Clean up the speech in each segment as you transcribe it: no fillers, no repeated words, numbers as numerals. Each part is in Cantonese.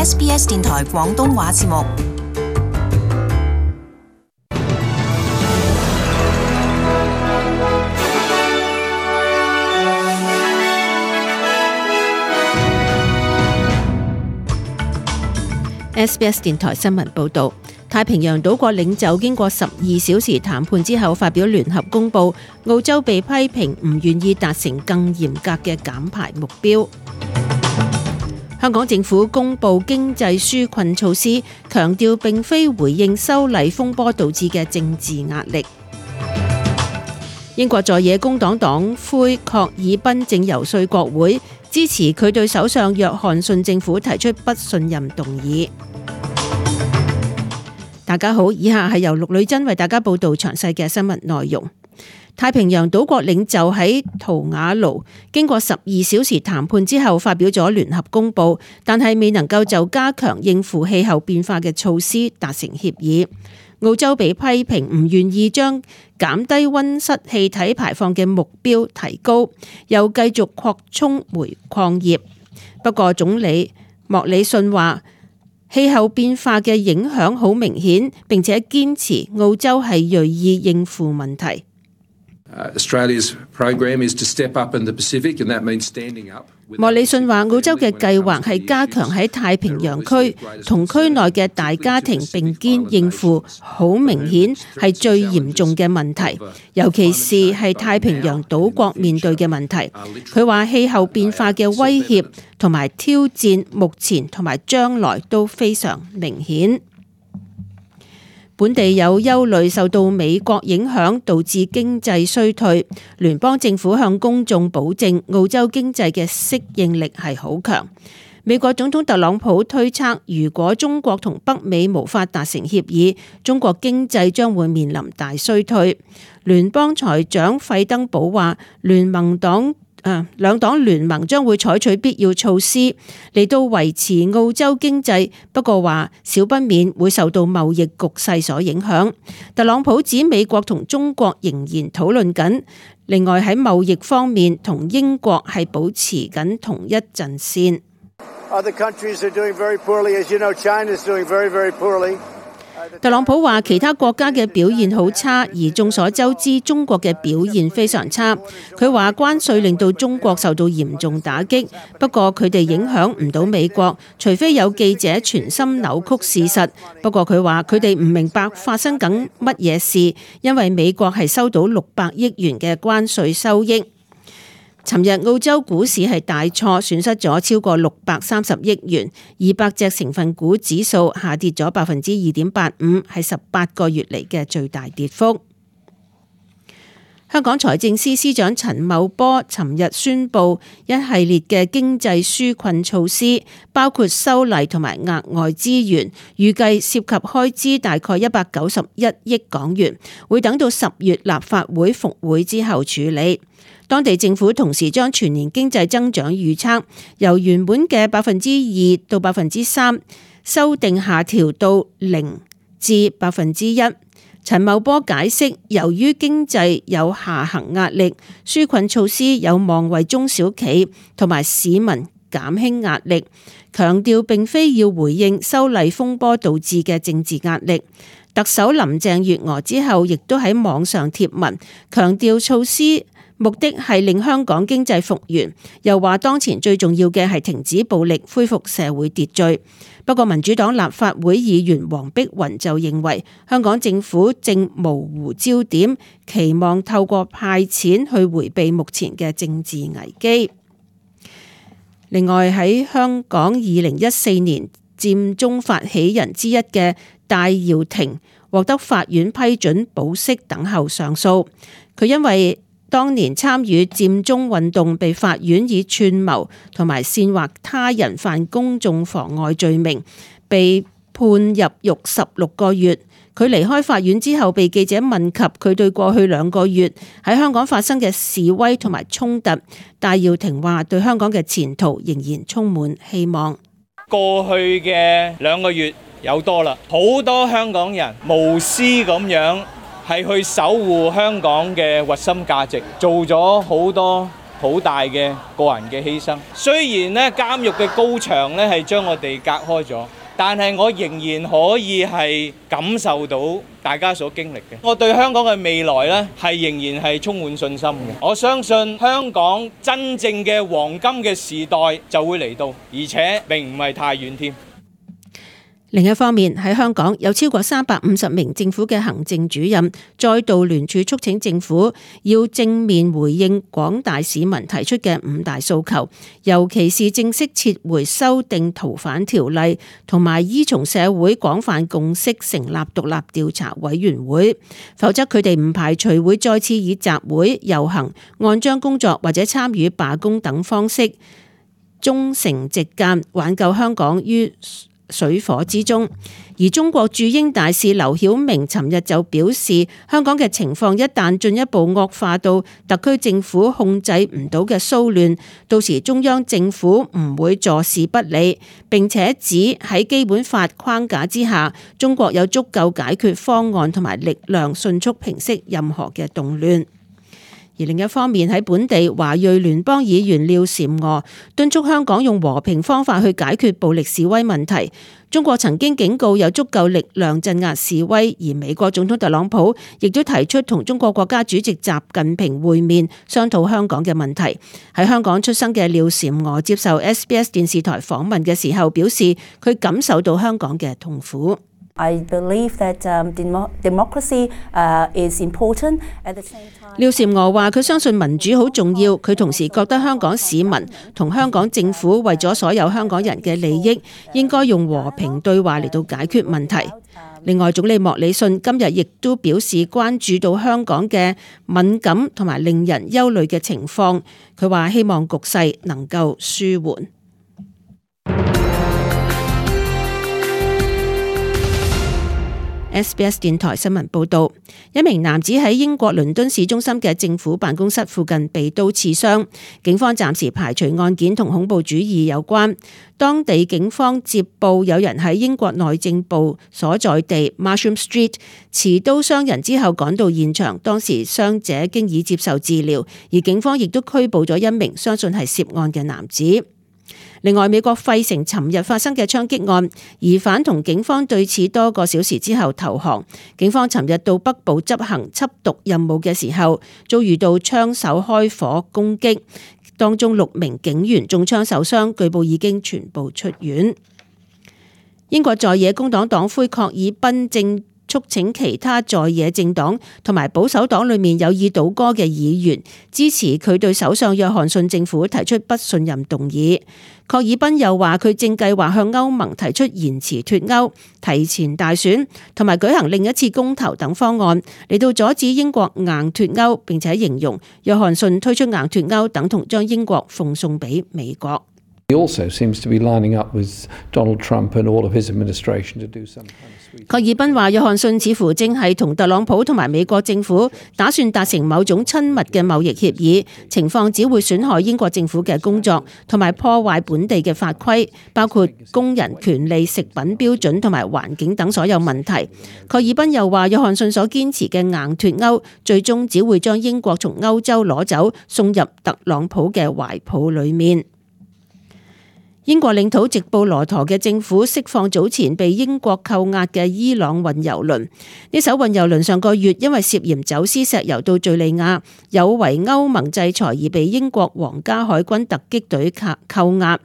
SBS 電台廣東話節目。SBS 電台新聞報導，太平洋島國領袖經過12小時談判之後發表聯合公報，澳洲被批評唔願意達成更嚴格嘅減排目標。香港政府公布經濟紓困措施，強調並非回應修例風波導致嘅政治壓力。英國在野工黨黨魁郝爾賓正游說國會，支持佢對首相約翰遜政府提出不信任動議。大家好，以下係由陸女珍為大家報道詳細嘅新聞內容。太平洋島國領袖喺圖瓦盧經過12小時談判之後發表咗聯合公報，但係未能夠就加強應付氣候變化嘅措施達成協議。澳洲被批評唔願意將減低溫室氣體排放嘅目標提高，又繼續擴充煤礦業。不過總理莫里遜話，氣候變化嘅影響好明顯，並且堅持澳洲係銳意應付問題。Australia's program is to step up in the Pacific, and that means standing up. 莫里遜話，澳洲嘅計劃係加強喺太平洋區同區內嘅大家庭並肩應付好明顯係最嚴重嘅問題，尤其是係太平洋島國面對嘅問題。佢話氣候變化嘅威脅同埋挑戰目前同埋將來都非常明顯。本地有憂慮受到美國影響導致經濟衰退，聯邦政府向公眾保證澳洲經濟嘅適應力係好強。美國總統特朗普推測，如果中國同北美無法達成協議，中國經濟將會面臨大衰退。聯邦財長費登堡話，兩黨聯盟將會採取必要措施嚟到維持澳洲經濟，不過話少不免會受到貿易局勢所影響。特朗普指美國同中國仍然討論緊，另外喺貿易方面同英國係保持緊同一陣線。特朗普話其他國家嘅表現好差，而眾所周知中國嘅表現非常差。佢話關稅令到中國受到嚴重打擊，不過佢哋影響唔到美國，除非有記者存心扭曲事實。不過佢話佢哋唔明白發生緊乜嘢事，因為美國係收到600億元嘅關稅收益。尋日澳洲股市係大挫，損失咗超過630億元，200隻成分股指數下跌咗2.85%，係18個月嚟嘅最大跌幅。香港財政司司長陳茂波尋日宣布一系列嘅經濟紓困措施，包括修例同埋額外資源，預計涉及開支大概191億港元，會等到10月立法會復會之後處理。當地政府同時將全年經濟增長預測由原本嘅2%到3%，修訂下調到0%至1%。陳茂波解釋，由於經濟有下行壓力，紓困措施有望為中小企同埋市民減輕壓力，強調並非要回應修例風波導致嘅政治壓力。特首林鄭月娥之後亦都喺網上貼文，強調措施目的係令香港經濟復原，又話當前最重要嘅係停止暴力，恢復社會秩序。不過民主黨立法會議員黃碧雲就認為香港政府正模糊焦點，期望透過派錢去迴避目前嘅政治危機。另外喺香港2014年佔中發起人之一嘅戴耀廷獲得法院批准保釋等候上訴，佢因為當年參與佔中運動，被法院以串謀同埋煽惑他人犯公眾妨礙罪名，被判入獄16個月。佢離開法院之後，被記者問及佢對過去2個月喺香港發生嘅示威同埋衝突，戴耀廷話對香港嘅前途仍然充滿希望。過去嘅2個月有多啦，好多香港人無私咁樣係去守護香港嘅核心價值，做咗好多好大嘅個人嘅犧牲。雖然咧監獄嘅高牆咧係將我哋隔開咗，但係我仍然可以係感受到大家所經歷嘅。我對香港嘅未來咧係仍然係充滿信心嘅。我相信香港真正嘅黃金嘅時代就會嚟到，而且並唔係太遠添。另一方面，喺香港有超過350名政府嘅行政主任再度聯署促請政府要正面回應廣大市民提出嘅5大訴求，尤其是正式撤回修訂逃犯條例，同埋依從社會廣泛共識成立獨立調查委員會，否則佢哋唔排除會再次以集會、遊行、按章工作或者參與罷工等方式忠誠直諫，挽救香港於水火之中。而中國駐英大使劉曉明尋日就表示，香港嘅情況一旦進一步惡化到特區政府控制唔到嘅騷亂，到時中央政府唔會坐視不理，並且指喺基本法框架之下，中國有足夠解決方案同埋力量迅速平息任何嘅動亂。而另一方面，喺本地華裔聯邦議員廖嬋娥敦促香港用和平方法去解決暴力示威問題。中國曾經警告有足夠力量鎮壓示威，而美國總統特朗普亦都提出同中國國家主席習近平會面，商討香港嘅問題。喺香港出生嘅廖嬋娥接受 SBS 電視台訪問嘅時候表示，佢感受到香港嘅痛苦。I believe that democracy is important. At the same time， 廖嬋娥話：佢相信民主好重要。佢同時覺得香港市民同香港政府為咗所有香港人嘅利益，應該用和平對話嚟到解決問題。另外，總理莫里遜今日亦都表示關注到香港嘅敏感同埋令人憂慮嘅情況。佢話希望局勢能夠舒緩。SBS 電台新聞報道，一名男子喺英國倫敦市中心嘅政府辦公室附近被刀刺傷，警方暫時排除案件同恐怖主義有關。當地警方接報有人喺英國內政部所在地 Marsham Street 持刀傷人之後趕到現場，當時傷者經已接受治療，而警方亦都拘捕咗一名相信係涉案嘅男子。另外，美國費城尋日發生嘅槍擊案，疑犯同警方對峙多個小時之後投降。警方尋日到北部執行緝毒任務嘅時候，遭遇到槍手開火攻擊，當中6名警員中槍受傷，據報已經全部出院。英國在野工黨黨魁郝爾彬正促請其他在野政黨同埋保守黨裏面有意倒戈嘅議員支持佢對首相約翰遜政府提出不信任動議。郝爾彬又話佢正計劃向歐盟提出延遲脫歐、提前大選同埋舉行另一次公投等方案，嚟到阻止英國硬脫歐，並且形容約翰遜推出硬脫歐等同將英國奉送俾美國。He also seems to be lining up with Donald Trump and all of his administration to do some kind of sweet. 郝爾彬話：約翰遜似乎正係同特朗普同埋美國政府打算達成某種親密嘅貿易協議，情況只會損害英國政府嘅工作，同埋破壞本地嘅法規，包括工人權利、食品標準同埋環境等所有問題。郝爾彬又話：約翰遜所堅持嘅硬脫歐，最終只會將英國從歐洲攞走，送入特朗普嘅懷抱裡面。英國領土直布羅陀嘅政府釋放早前被英國扣押嘅伊朗運油輪。呢艘運油輪上個月因為涉嫌走私石油到敘利亞，有違歐盟制裁而被英國皇家海軍突擊隊扣押。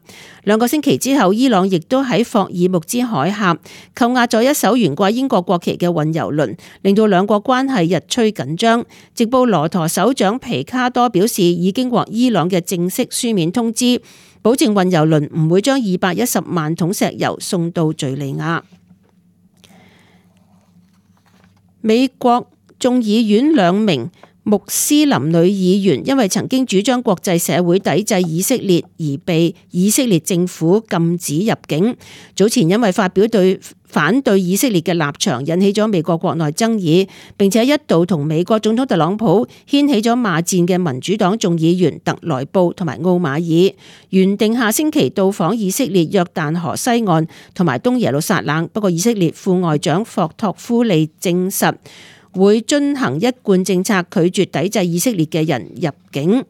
2個星期之後，伊朗亦都喺霍爾木茲海峽扣押咗一艘懸掛英國國旗嘅運油輪，令到兩國關係日趨緊張。直布羅陀首長皮卡多表示，已經獲伊朗嘅正式書面通知，保證運油輪唔會將210萬桶石油送到敘利亞。美國眾議院2名穆斯林女議員因為曾經主張國際社會抵制以色列而被以色列政府禁止入境。早前因為發表反對以色列嘅立場，引起咗美國國內爭議，並且一度同美國總統特朗普掀起咗罵戰嘅民主黨眾議員特萊布同埋奧馬爾，原定下星期到訪以色列約旦河西岸同埋東耶路撒冷，不過以色列副外長霍托夫利證實會遵行一貫政策，拒絕抵制以色列嘅人入境。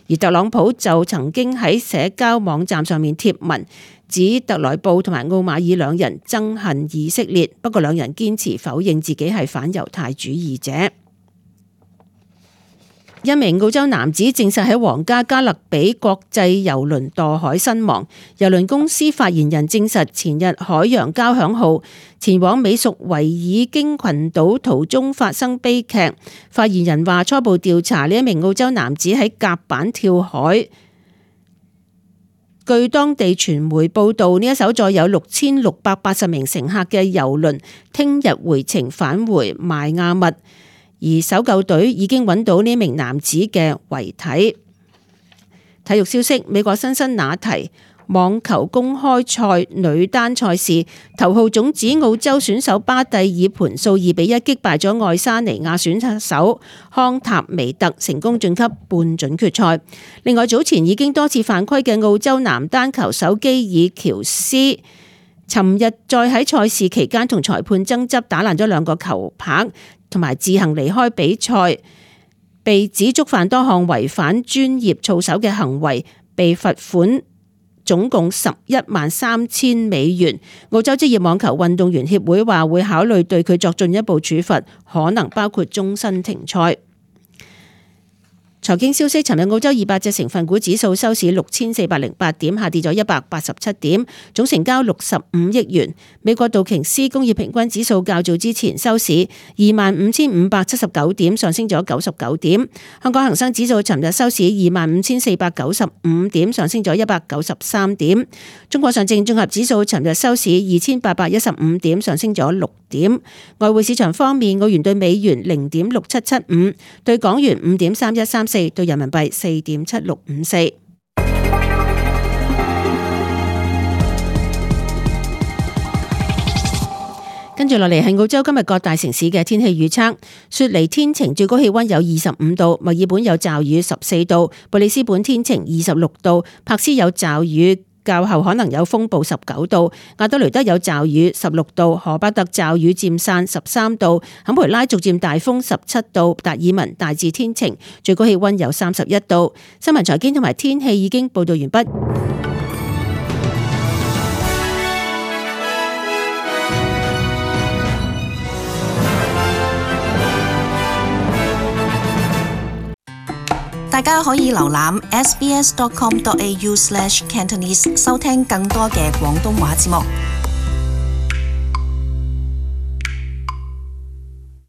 而特朗普就曾經喺社交網站上面貼文，指特萊布同埋奧馬爾兩人憎恨以色列，不過兩人堅持否認自己係反猶太主義者。一名澳洲男子證實喺皇家加勒比國際郵輪墮海身亡。郵輪公司發言人證實，前日海洋交響號前往美屬維爾京群島途中發生悲劇。發言人話，初步調查呢一名澳洲男子喺甲板跳海。據當地傳媒報道，呢一艘載有6680名乘客嘅郵輪聽日回程返回邁亞密。而搜救隊已經揾到呢名男子嘅遺體。體育消息：美國辛辛那提網球公開賽女單賽事，頭號種子澳洲選手巴蒂以盤數2-1擊敗咗愛沙尼亞選手康塔維特，成功晉級半準決賽。另外，早前已經多次犯規嘅澳洲男單球手基爾喬斯，尋日再喺賽事期間同裁判爭執，打爛咗2個球拍，同埋自行離開比賽，被指觸犯多項違反專業操守嘅行為，被罰款總共$113,000美元。澳洲職業網球運動員協會話會考慮對佢作進一步處罰，可能包括終身停賽。財經消息：尋日澳洲200隻成分股指數收市6408點，下跌咗187點，總成交65億元。美國道瓊斯工業平均指數較早之前收市25,579點，上升咗99點。香港恒生指數尋日收市25,495點，上升咗193點。中國上證綜合指數尋日收市2,815點，上升咗6點。外匯市場方面，澳元對美元0.6775，對港元5.3134，對人民幣4.7654。跟住落嚟係澳洲今日各大城市嘅天氣預測：雪梨天晴，最高氣溫有25度；墨爾本有驟雨14度；布里斯本天晴26度；柏斯有驟雨，較後可能有風暴19度；亞德雷德有驟雨16度；荷巴特驟雨漸散13度；坎培拉逐漸大風17度；達爾文大致天晴，最高氣溫有31度。新聞財經同埋天氣已經報道完畢。大家可以瀏覽 sbs.com.au/cantonese 收聽更多嘅廣東話節目。